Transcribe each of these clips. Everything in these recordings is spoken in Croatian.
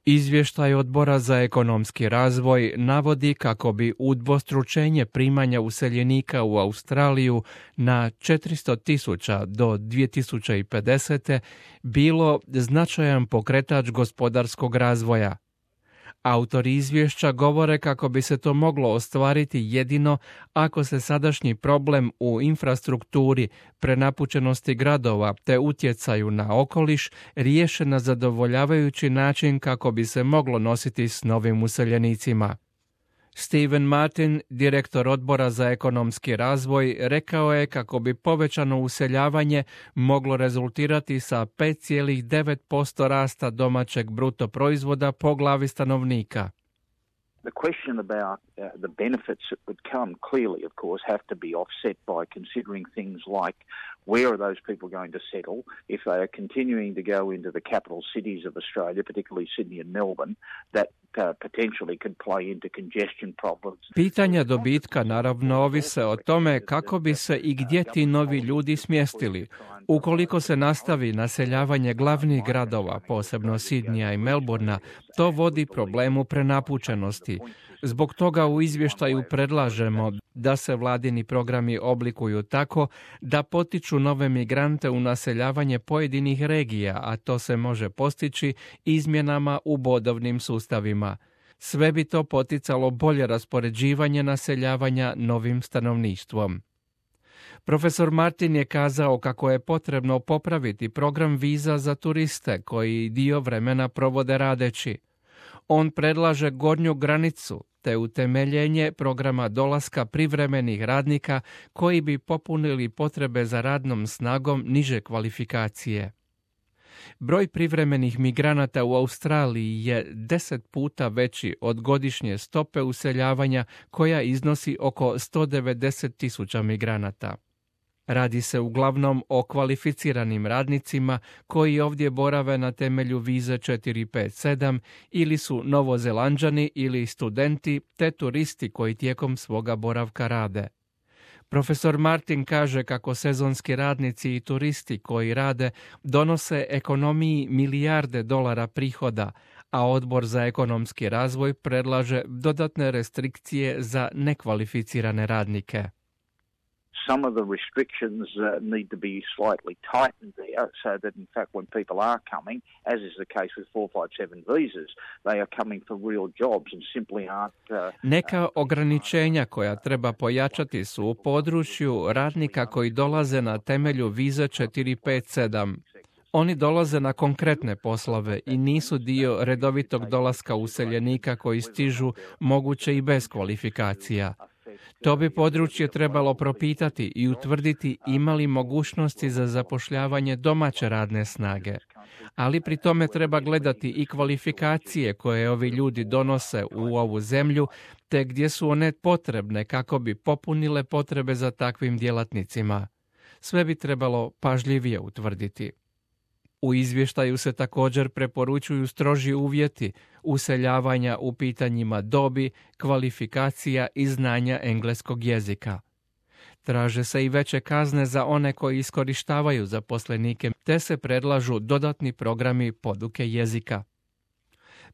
Izvještaj Odbora za ekonomski razvoj navodi kako bi udvostručenje primanja useljenika u Australiju na 400.000 do 2050. bilo značajan pokretač gospodarskog razvoja. Autori izvješća govore kako bi se to moglo ostvariti jedino ako se sadašnji problem u infrastrukturi, prenapučenosti gradova te utjecaju na okoliš riješe na zadovoljavajući način kako bi se moglo nositi s novim useljenicima. Steven Martin, direktor Odbora za ekonomski razvoj, rekao je kako bi povećano useljavanje moglo rezultirati sa 5,9% rasta domaćeg bruto proizvoda po glavi stanovnika. The question about the benefits that would come clearly, of course, have to be offset by considering things like where are those people going to settle? If they are continuing to go into the capital cities of Australia, particularly Sydney and Melbourne, that potentially could play into congestion problems. Pitanja dobitka naravno ovise o tome kako bi se i gdje ti novi ljudi smjestili. Ukoliko se nastavi naseljavanje glavnih gradova, posebno Sidnija i Melbourna, to vodi problemu prenapučenosti. Zbog toga u izvještaju predlažemo da se vladini programi oblikuju tako da potiču nove migrante u naseljavanje pojedinih regija, a to se može postići izmjenama u bodovnim sustavima. Sve bi to poticalo bolje raspoređivanje naseljavanja novim stanovništvom. Profesor Martin je kazao kako je potrebno popraviti program viza za turiste koji dio vremena provode radeći. On predlaže gornju granicu te utemeljenje programa dolaska privremenih radnika koji bi popunili potrebe za radnom snagom niže kvalifikacije. Broj privremenih migranata u Australiji je 10 puta veći od godišnje stope useljavanja koja iznosi oko 190.000 migranata. Radi se uglavnom o kvalificiranim radnicima koji ovdje borave na temelju vize 457 ili su Novozelanđani ili studenti te turisti koji tijekom svoga boravka rade. Profesor Martin kaže kako sezonski radnici i turisti koji rade donose ekonomiji milijarde dolara prihoda, a Odbor za ekonomski razvoj predlaže dodatne restrikcije za nekvalificirane radnike. Some of the restrictions need to be slightly tightened there so that in fact when people are coming, as is the case with 457 visas, they are coming for real jobs and simply aren't... Neka ograničenja koja treba pojačati su u području radnika koji dolaze na temelju vize 457. Oni dolaze na konkretne poslove i nisu dio redovitog dolaska useljenika koji stižu moguće i bez kvalifikacija. To bi područje trebalo propitati i utvrditi ima li mogućnosti za zapošljavanje domaće radne snage. Ali pri tome treba gledati i kvalifikacije koje ovi ljudi donose u ovu zemlju, te gdje su one potrebne kako bi popunile potrebe za takvim djelatnicima. Sve bi trebalo pažljivije utvrditi. U izvještaju se također preporučuju stroži uvjeti useljavanja u pitanjima dobi, kvalifikacija i znanja engleskog jezika. Traže se i veće kazne za one koji iskorištavaju zaposlenike, te se predlažu dodatni programi poduke jezika.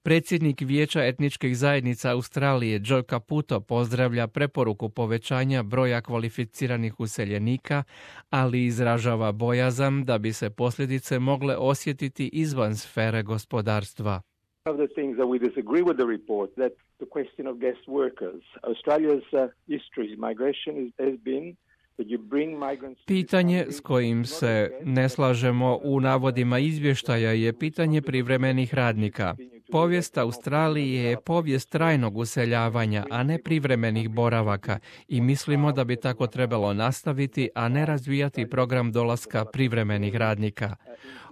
Predsjednik Vijeća etničkih zajednica Australije Joe Caputo pozdravlja preporuku povećanja broja kvalificiranih useljenika, ali izražava bojazan da bi se posljedice mogle osjetiti izvan sfere gospodarstva. One of the things that we disagree with the report, that the question of guest workers. Australia's history migration has been. Pitanje s kojim se ne slažemo u navodima izvještaja je pitanje privremenih radnika. Povijest Australije je povijest trajnog useljavanja, a ne privremenih boravaka i mislimo da bi tako trebalo nastaviti, a ne razvijati program dolaska privremenih radnika.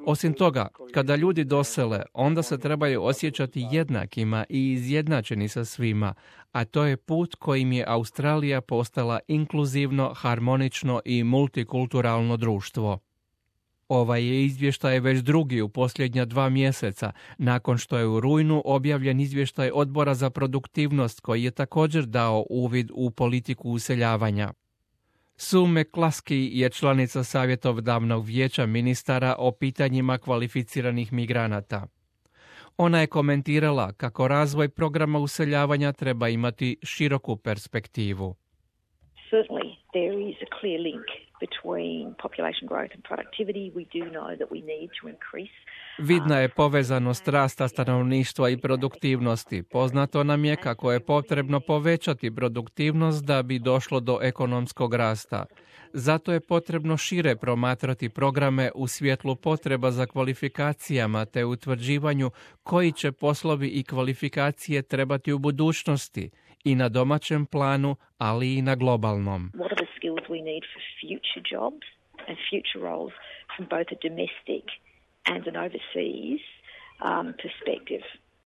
Osim toga, kada ljudi dosele, onda se trebaju osjećati jednakima i izjednačeni sa svima, a to je put kojim je Australija postala inkluzivno, harmonično i multikulturalno društvo. Ovaj je izvještaj već drugi u posljednja 2 mjeseca, nakon što je u rujnu objavljen izvještaj Odbora za produktivnost koji je također dao uvid u politiku useljavanja. Sue McCluskey je članica savjetodavnog vijeća ministara o pitanjima kvalificiranih migranata. Ona je komentirala kako razvoj programa useljavanja treba imati široku perspektivu. Certainly, there is a clear link between population growth and productivity. We do know that we need to increase. Vidna je povezanost rasta stanovništva i produktivnosti. Poznato nam je kako je potrebno povećati produktivnost da bi došlo do ekonomskog rasta. Zato je potrebno šire promatrati programe u svjetlu potreba za kvalifikacijama te utvrđivanju koji će poslovi i kvalifikacije trebati u budućnosti i na domaćem planu, ali i na globalnom. What are the skills we need for future jobs and future roles from both a domestic and an overseas perspective?